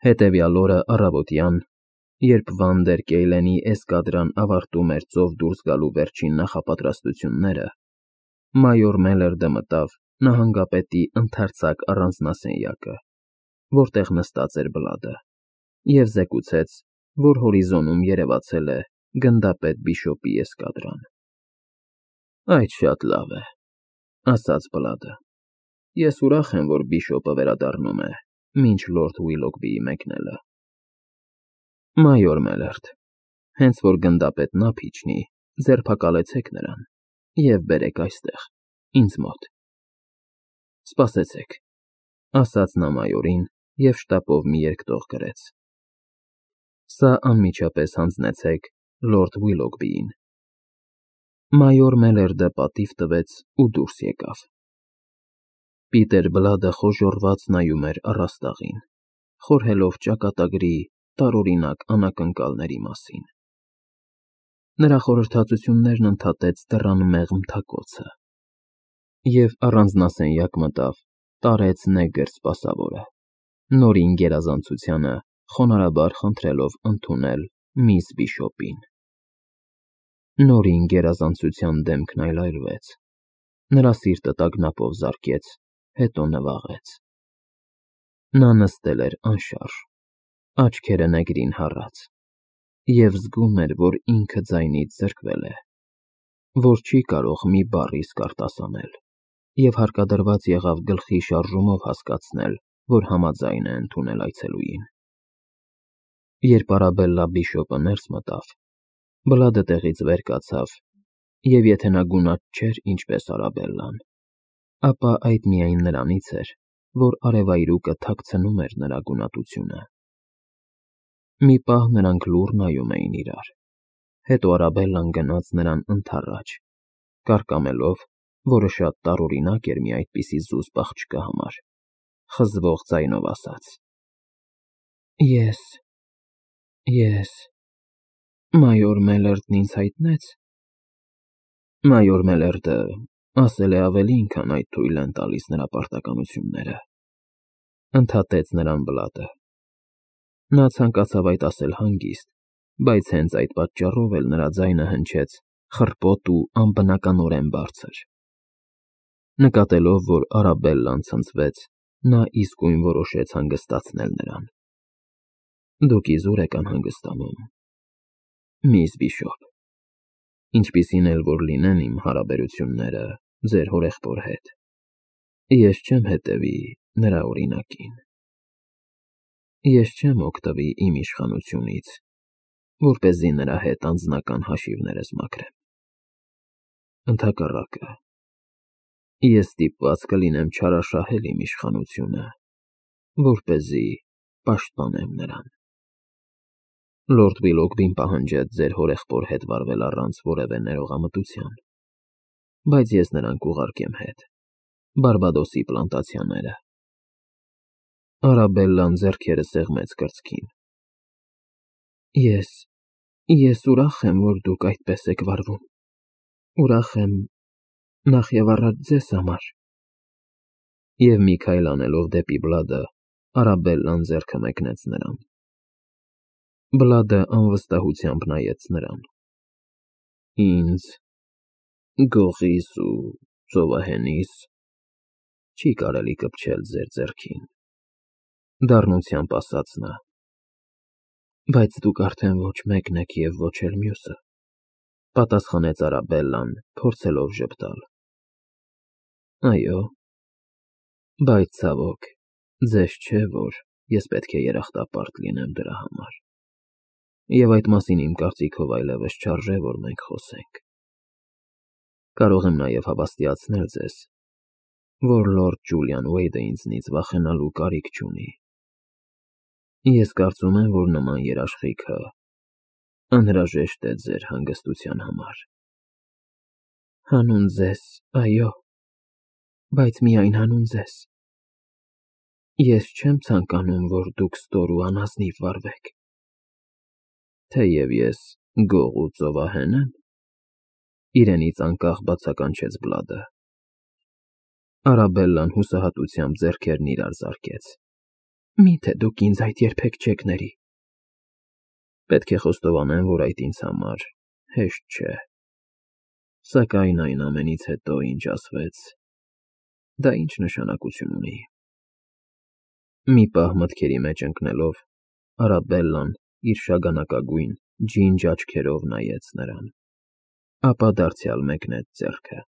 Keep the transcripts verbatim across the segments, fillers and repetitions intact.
Հետևյալ օրը առավոտյան, երբ Վանդեր Կեյլենի էսկադրան ավարտում էր ծով դուրս գալու վերջին նախապատրաստությունները, մայոր Մելերդը մտավ նահանգապետի ընդարձակ առանձնասենյակը, որտեղ նստած էր Բլադը, և զեկուցեց, որ հորիզոնում երևացել է գնդապետ Բիշոպի էսկադրան։ «Այդ շատ լավ է,֊ ասաց Բլադը։ Ես ուրախ եմ, որ Բիշոպը վերադառնում է, մինչ լորդ Ուիլոգբիի մեկնելը։ Մայոր Մելերդ, հենց որ գնդապետն ափ իջնի, ձերբակալեցեք նրան և բերեք այստեղ, ինձ մոտ»։ «Սպասեցեք,֊ ասաց նա մայորին և շտապով մի երկտող գրեց։ Սա անմիջապես հանձնեցեք լորդ Ուիլոգբիին։ Մայոր Մելերդը պատիվ տվեց ու դուրս եկավ։ Պիտեր Բլադը խոժոռված նայում էր առաստաղին, խորհելով ճակատագրի տարօրինակ անակնկալների մասին։ Նրա խորհրդածություններն ընդհատեց դռան մեղմ թակոցը և առանձնասենյակ մտավ տարեց նեգր սպասավորը, Նորին գերազանցությանը խոնարհաբար խնդրելով ընդունել միս Բիշոպին։ Նորին գերազանցության դեմքն այլայլվեց, նրա սիրտը տագնապով զարկեց, հետո նվաղեց։ Նա նստել էր անշարժ, աչքերը նեգրին հառած, և զգում էր, որ ինքը ձայնից զրկվել է, որ չի կարող մի բառ իսկ արտասանել, և հարկադրված եղավ գլխի շարժումով հասկացնել, որ համաձայն է ընդունել այցելուին։ Երբ Արաբելլա Բիշոպը ներս մտավ, Բլադը տեղից վեր կացավ, և եթե նա գունատ չէր ինչպես Արաբելլան, ապա այդ միայն նրանից էր, որ արևայրուկը թաքցնում էր նրա գունատությունը։ Մի պահ նրանք լուռ նայում էին իրար, հետո Արաբելլան գնաց նրան ընդառաջ, կարկամելով, որը շատ տարօրինակ էր մի այդպիսի զուսպ աղջկա համար, խզվող ձայնով ասաց. «Ես… ես… մայոր Մելերդն ինձ հայտնեց»։ Մայոր Մելերդը ասել է ավելին, քան այդ թույլ են տալիս նրա պարտականությունները,֊ ընդհատեց նրան Բլադը։ Նա ցանկացավ այդ ասել հանգիստ, բայց հենց այդ պատճառով էլ նրա ձայնը հնչեց խռպոտ ու անբնականորեն բարձր։ Նկատելով, որ Արաբելլան ցնցվեց, նա իսկույն որոշեց հանգստացնել նրան։ «Դուք իզուր եք անհանգստանում, միս Բիշոպ, ինչպիսին էլ որ լինեն իմ հարաբերությունները ձեր հորեղբոր հետ, ես չեմ հետևի նրա օրինակին։ Ես չեմ օգտվի իմ իշխանությունից, որպեսզի նրա հետ անձնական հաշիվներս մաքրեմ։ Ընդհակառակը, ես ստիպված կլինեմ չարաշահել իմ իշխանությունը, որպեսզի պաշտպանեմ նրան։ Լորդ Ուիլոգբին պահանջեց ձեր հորեղբոր հետ վարվել առանց որևէ ներողամտության, բայց ես նրան կուղարկեմ հետ, Բարբադոսի պլանտացիաները»։ Արաբելլան ձեռքերը սեղմեց կրծքին։ «Ես… ես ուրախ եմ, որ դուք այդպես եք վարվում, ուրախ եմ, նախևառաջ ձեզ համար…» Եվ մի քայլ անելով դեպի Բլադը, Արաբելլան ձեռքը մեկնեց նրան։ Բլադը անվստահությամբ նայեց նրան։ «Ինձ… գողիս ու ծովահենիս… չի կարելի կպչել ձեր ձեռքին,֊ դառնությամբ ասաց նա։ «Բայց դուք արդեն ոչ մեկն եք և ոչ էլ մյուսը,֊ պատասխանեց Արաբելլան, փորձելով ժպտալ։ Այո, բայց, ցավոք, ձեզ չէ, որ ես պետք է երախտապարտ լինեմ դրա համար, և այդ մասին իմ կարծիքով այլևս չարժե, որ մենք խոսենք։ Կարող եմ նաև հավաստիացնել ձեզ, որ լորդ Ջուլիան Ուեյդը ինձնից վախենալու կարիք չունի։ Ես կարծում եմ, որ նման երաշխիքը անհրաժեշտ է ձեր հանգստության համար»։ «Հանուն ձեզ, այո, բայց միայն հանուն ձեզ։ Ես չեմ ցանկանում, որ դուք ստոր ու անազնիվ վարվեք»։ «Թեև ես գող ու ծովահեն եմ,֊ իրենից անկախ բացականչեց Բլադը։ Արաբելլան հուսահատությամբ ձեռքերն իրար զարկեց։ Միթե դուք ինձ այդ երբեք չեք ների։ Պետք է խոստովանեմ, որ այդ ինձ համար հեշտ չէ։ Սակայն այն ամենից հետո, ինչ ասվեց, դա ինչ նշանակություն ունի։ Մի պահ մտքերի մեջ ընկնելով, Արաբելլան իր շագանակագույն ջինջ աչքերով նայեց նրան, ապա դարձյալ մեկնեց ձեռքը։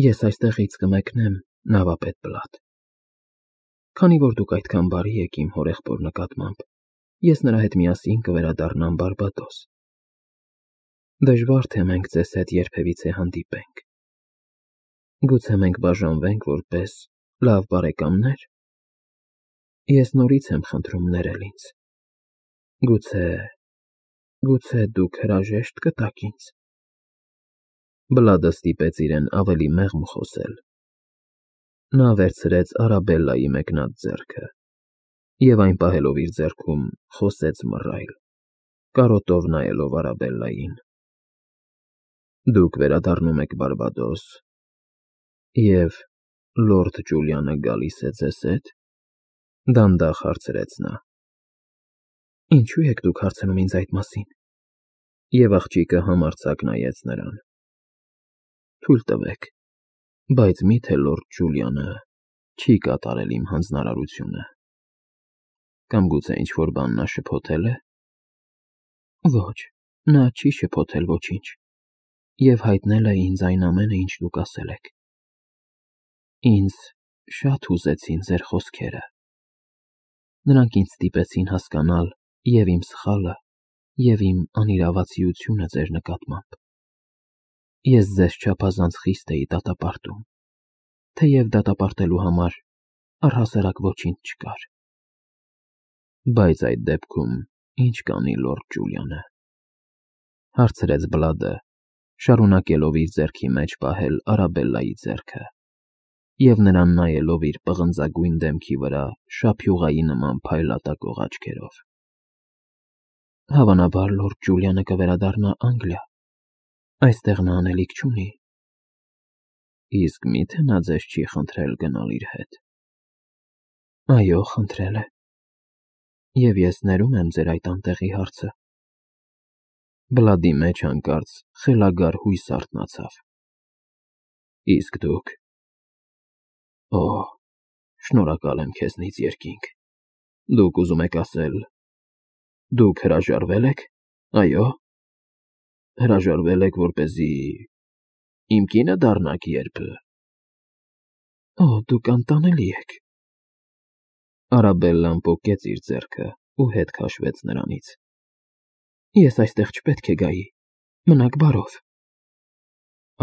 Ես այստեղից կմեկնեմ նավապետ Բլադ։ Քանի որ դուք այդքան բարի եք իմ հորեղբոր նկատմամբ, ես նրա հետ միասին կվերադառնամ Բարբադոս։ Դժվար թե մենք ձեզ հետ երբևիցե հանդիպենք։ Գուցե մենք բաժանվենք որպես լավ բարեկամներ։ Ես նորից եմ խնդրում ներել ինձ։ Գուցե, գուցե դուք հրաժեշտ կտաք ինձ։ Բլադը ստիպեց իրեն ավելի մեղմ խոսել։ Նա վերցրեց Արաբելլայի մեկնած ձեռքը և այն պահելով իր ձեռքում խոսեց մռայլ, կարոտով նայելով Արաբելլային. Դուք վերադառնում եք Բարբադոս, և լորդ Ջուլիանը գալի՞ս է ձեզ հետ, դանդաղ հարցրեց նա։ Ինչու եք դուք հարցնում ինձ այդ մասին։ Եվ աղջիկը համարձակ նայեց նրան։ Թույլ տվեք, բայց մի՞թե լորդ Ջուլիանը չի կատարել իմ հանձնարարությունը։ Կամ գուցե ինչ-որ բան նա շփոթել է։ Ոչ, նա չի շփոթել ոչինչ և հայտնել է ինձ այն ամենը, ինչ դուք ասել եք։ Ինձ շատ հուզեցին ձեր խոսքերը։ Նրանք ինձ ստիպեցին հասկանալ և իմ սխալը, և իմ անիրավացիությունը ձեր նկատմամբ։ Ես ձեզ չափազանց խիստ էի դատապարտում, թեև դատապարտելու համար առհասարակ ոչինչ չկար։ Բայց այդ դեպքում ի՞նչ կանի լորդ Ջուլիանը, հարցրեց Բլադը, շարունակելով իր ձեռքի մեջ պահել Արաբելլայի ձեռքը և նրան նայելով իր պղնձագույն դեմքի վրա շափյուղայի նման փայլատակող աչքերով։ Հավանաբար լորդ Ջուլիանը կվերադառնա Անգլիա, այստեղ նա անելիք չունի։ Իսկ մի՞թե նա ձեզ չի խնդրել գնալ իր հետ։ Այո, խնդրել է։ Եվ ես ներում եմ ձեր այդ անտեղի հարցը։ Բլադի մեջ հանկարծ խելագար հույս արթնացավ։ Իսկ դուք։ Օ, շնորհակալ եմ քեզնից, երկինք։ Դուք ուզում եք ասել, դուք հրաժարվե՞լ եք, այո։ Հրաժարվե՞լ եք, որպեսզի իմ կինը դառնաք երբ… Օ, դուք անտանելի եք։ Արաբելլան պոկեց իր ձեռքը ու հետ քաշվեց նրանից։ Ես այստեղ չպետք է գայի, մնաք բարով։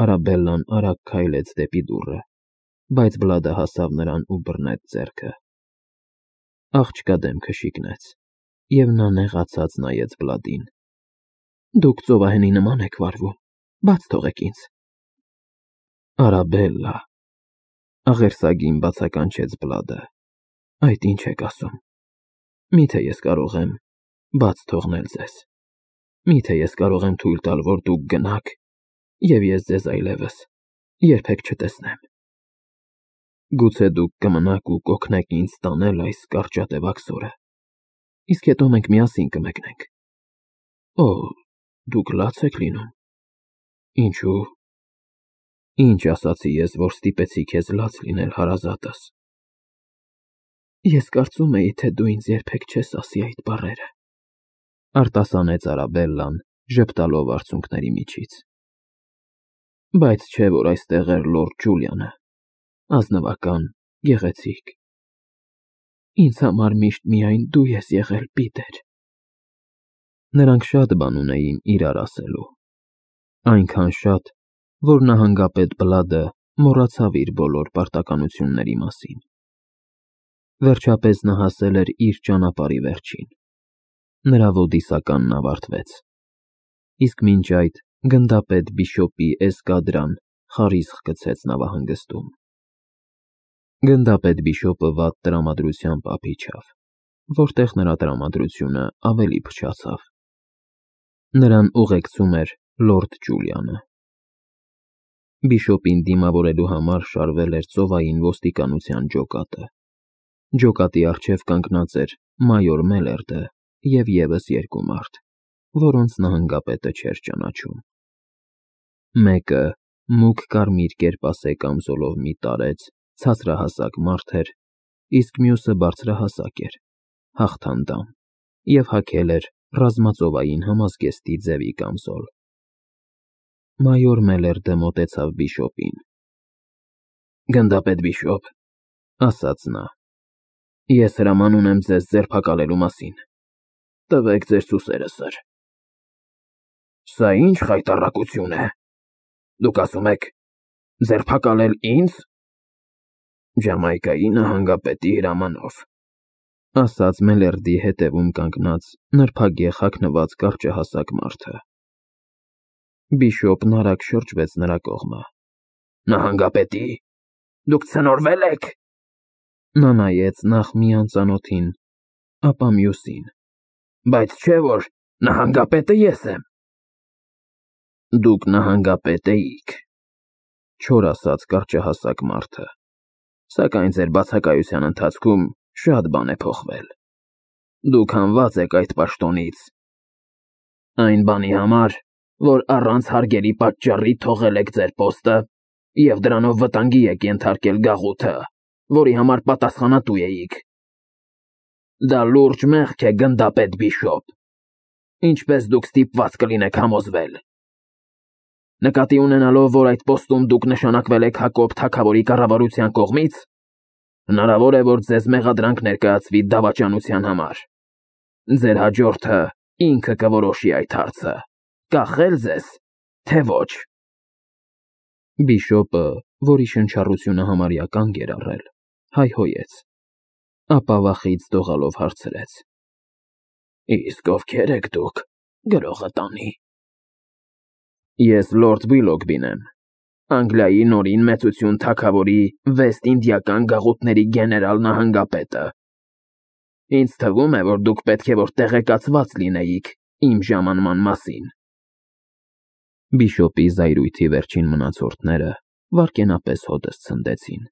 Արաբելլան արագ քայլեց դեպի դուռը, բայց Բլադը հասավ նրան ու բռնեց ձեռքը։ Աղջկա դեմքը շիկնեց, և նա նեղացած նայեց Բլադին։ Դուք ծովահենի նման եք վարվում, բաց թողեք ինձ։ Արաբելլա, աղերսագին բացականչեց Բլադը, այդ ինչ եք ասում։ Միթե ես կարող եմ բաց թողնել ձեզ։ Միթե ես կարող եմ թույլ տալ, որ դուք գնաք, և ես ձեզ այլևս երբեք չտեսնեմ։ Գուցե դուք կմնաք ու կօգնեք ինձ տանել այս կարճատև աքսորը, իսկ հետո մենք միասին կմեկնենք։ Օ, դուք լաց եք լինում։ Ինչու՞։ Ինչ ասացի ես, որ ստիպեցի քեզ լաց լինել հարազատս։ Ես կարծում էի, թե դու ինձ երբեք չես ասի այդ բառերը, արտասանեց Արաբելլան, ժպտալով արցունքների միջից։ Բայց չէ՞ որ այստեղ էր լորդ Ջուլիանը, ազնվական, գեղեցիկ։ Ինձ համար միշտ միայն դու ես եղել, Պիտեր։ Նրանք շատ բան ունեին իրար ասելու, այնքան շատ, որ նահանգապետ Բլադը մոռացավ իր բոլոր պարտականությունների մասին։ Վերջապես նա հասել էր իր ճանապարհի վերջին։ Նրա ոդիսականն ավարտվեց, իսկ մինչ այդ գնդապետ բիշոպի էսկադրան խարիսխ գցեց նավահանգստում։ Գնդապետ բիշոպը վատ տրամադրությամբ ափ իջավ, որտեղ նրա տրամադրությունը ավելի փչացավ։ Նրան ուղեկցում էր լորդ Ջուլիանը։ Բիշոպին դիմավորելու համար շարվել էր ծովային ոստիկանության ջոկատը։ Ջոկատի առջև կանգնած էր մայոր Մելերդը և ևս երկու մարդ, որոնց նահանգապետը չէր ճանաչում։ Մեկը մուգ կարմիր կերպասե կամզոլով մի տարեց, ցածրահասակ մարդ էր, իսկ մյուսը բարձրահասակ էր, հաղթանդամ, և հագել էր ռազմածովային համազգեստի ձևի կամզոլ։ Մայոր Մելերդը մոտեցավ բիշոպին։ «Գնդապետ բիշոպ», ասաց նա, «ես հրաման ունեմ ձեզ ձերբակալելու մասին։ Տվեք ձեր սուսերը, սըր»։ «Սա ի՞նչ խայտառակություն է, դուք ասում եք ձերբակալել ինձ»։ «Ջամայկայի նահանգապետի հրամանով», ասաց Մելերդի հետևում կանգնած նրբագեղ հագնված կարճահասակ մարդը։ Բիշոպն արագ շրջվեց նրա կողմը։ «Նահանգապետի՞։ Դուք ցնորվել եք»։ Նա նայեց նախ մի անծանոթին, ապա մյուսին։ «Բայց չէ՞ որ նահանգապետը ես եմ»։ «Դուք նահանգապետ էիք», չոր ասաց կարճահասակ մարդը, «սակայն ձեր բացակայության ընթացքում շատ բան է փոխվել։ Դուք հանված եք այդ պաշտոնից։ Այն բանի համար, որ առանց հարգելի պատճառի թողել եք ձեր պոստը և դրանով վտանգի եք ենթարկել գաղութը, որի համար պատասխանատու էիք։ Դա լուրջ մեղք է, գնդապետ բիշոպ, ինչպես դուք ստիպված կլինեք համոզվել։ Նկատի ունենալով, որ այդ պոստում դուք նշանակվել եք Հակոբ թագավորի կառավարության կողմից, հնարավոր է, որ ձեզ մեղադրանք ներկայացվի դավաճանության համար։ Ձեր հաջորդը ինքը կորոշի այդ հարցը՝ կախել ձեզ, թե ոչ»։ Բիշոպը, որի շնչառությունը համարյա կանգ էր առել, հայհոյեց, ապա վախից դողալով հարցրեց. «Իսկ ովքեր եք դուք, գրողը տանի»։ «Ես լորդ Վիլոգբին եմ, Անգլիայի Նորին Մեծություն թագավորի Վեստ-Ինդիական գաղութների գեներալ նահանգապետը։ Ինձ թվում է, որ դուք պետք է որ տեղեկացված լինեիք իմ ժամանման մասին»։ Բիշոպի զայրույթի վերջին մնացորդները վայրկենապես հոտս ցնդեցին։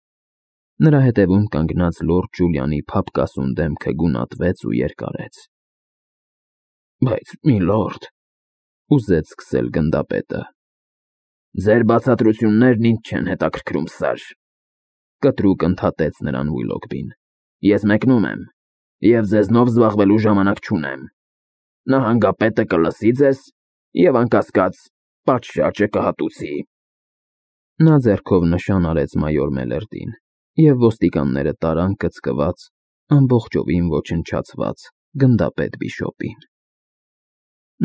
Նրա հետևում կանգնած լորդ Ջուլիանի փափկասուն դեմքը գունատվեց ու երկարեց։ «Բայց, միլորդ», ուզեց սկսել գնդապետը։ «Ձեր բացատրություններն ինձ չեն հետաքրքրում, սըր», կտրուկ ընդհատեց նրան Վիլոգբին։ «Ես մեկնում եմ և ձեզնով զբաղվելու ժամանակ չունեմ։ Նահանգապետը կլսի ձեզ և, անկասկած, պատշաճը կհատուցի»։ Նա ձեռքով նշան արեց մայոր Մելերդին, և ոստիկանները տարան կծկված, ամբողջովին ոչնչացված գնդապետ բիշոպին։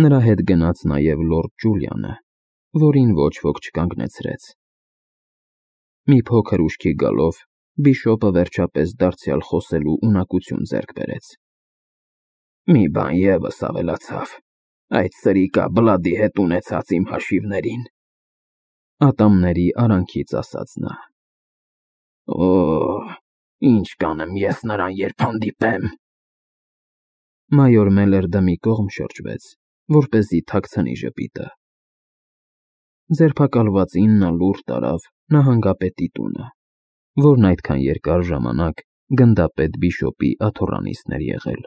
Նրա հետ գնաց նաև լորդ Ջուլիանը, որին ոչ ոք չկանգնեցրեց։ Մի փոքր ուշքի գալով բիշոպը վերջապես դարձյալ խոսելու ունակություն ձեռք բերեց։ «Մի բան ևս ավելացավ այդ սրիկա Բլադի հետ ունեցած իմ հաշիվներին», ատամների արանքից ասաց նա։ «Օ, ինչ կանեմ ես նրան, երբ հանդիպեմ»։ Մայոր Մելերդը մի կողմ շրջվեց, որպեսզի թաքցնի ժպիտը։ Ձերբակալվածին նա լուր տարավ նահանգապետի տունը, որն այդքան երկար ժամանակ գնդապետ բիշոպի աթոռանիցն էր եղել։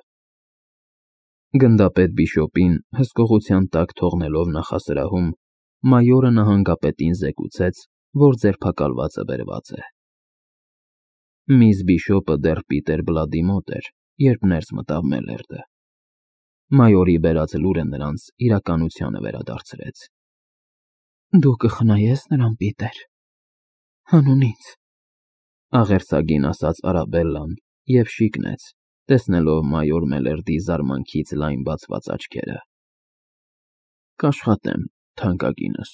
Գնդապետ բիշոպին հսկողության տակ թողնելով նախասրահում, մայորը նահանգապետին զեկուցեց, որ ձերբակալվածը բերված է։ Միss Բիշոպը դեռ Պիտեր Բլադի մոտ էր, երբ ներս մտավ Մելերդը։ Մայորի բերած լուրը նրանց իրականությանը վերադարձրեց։ «Դու կխնայե՞ս նրան, Պիտեր, հանուն ինձ», աղերսագին ասաց Արաբելլան և շիկնեց, տեսնելով մայոր Մելերդի զարմանքից լայն բացված աչքերը։ «Կաշխատեմ, թանկագինս»,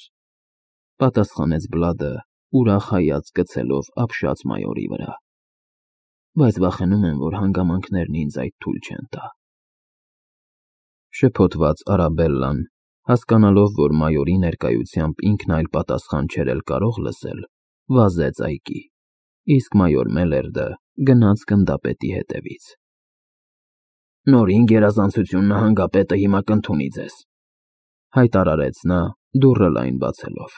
պատասխանեց Բլադը, ուրախ հայացք գցելով ապշած մայորի վրա, «բայց վախենում եմ, որ հանգամանքներն ինձ այդ թույլ չեն տա»։ Շփոթված Արաբելլան, հասկանալով, որ մայորի ներկայությամբ ինքն այլ պատասխան չէր էլ կարող լսել, վազեց այգի, իսկ մայոր Մելերդը գնաց գնդապետի հետևից։ «Նորին գերազանցություն նահանգապետը հիմա կընդունի ձեզ», հայտարարեց նա, դուռը լայն բացելով։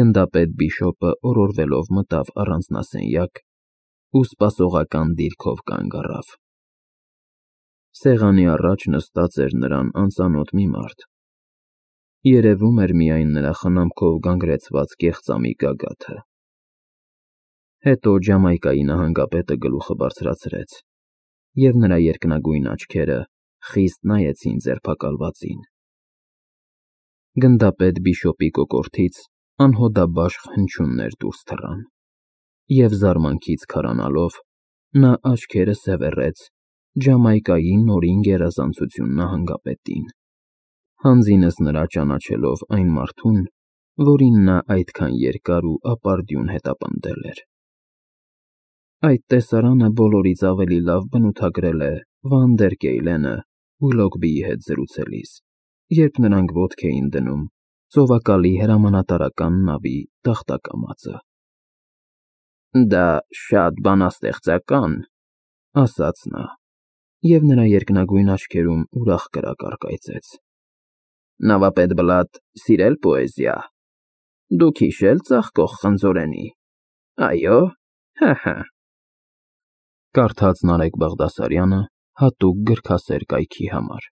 Գնդապետ բիշոպը օրորվելով մտավ առանձնասենյակ ու սպասողական դիրքով կանգ առավ։ Սեղանի առաջ նստած էր նրան անծանոթ մի մարդ։ Երևում էր միայն նրա խնամքով գանգրեցված կեղծամի գագաթը։ Հետո Ջամայկայի նահանգապետը գլուխը բարձրացրեց, և նրա երկնագույն աչքերը խիստ նայեցին ձերբակալվածին։ Գնդապետ Բիշոպի կոկորդից անհոդաբաշխ հնչյուններ դուրս թռան, և զարմանքից քարանալով նա աչքերը սևեռեց Ջամայկայի նորին գերազանցություն նահանգապետին, հանձինս նրա ճանաչելով այն մարդուն, որին նա այդքան երկար ու ապարդյուն հետապնդել էր։ Այդ տեսարանը բոլորից ավելի լավ բնութագրել է Վանդերկեյլենը Ուիլոգբիի հետ զրուցելիս, երբ նրանք ոտք էին դնում ծովակալի հրամանատարական նավի տախտակամածը։ «Դա շատ բանաստեղծական», ֊ ասաց նա, և նրա երկնագույն աչքերում ուրախ կրակ առկայծեց։ «Նավապետ Բլադ սիրել պոեզիա, դուք հիշել ծաղկող խնձորենի, այո՞, հը՛֊հը՛»։ Կարդաց Նարեկ Բաղդասարյանը հատուկ գրքասեր կայքի համար։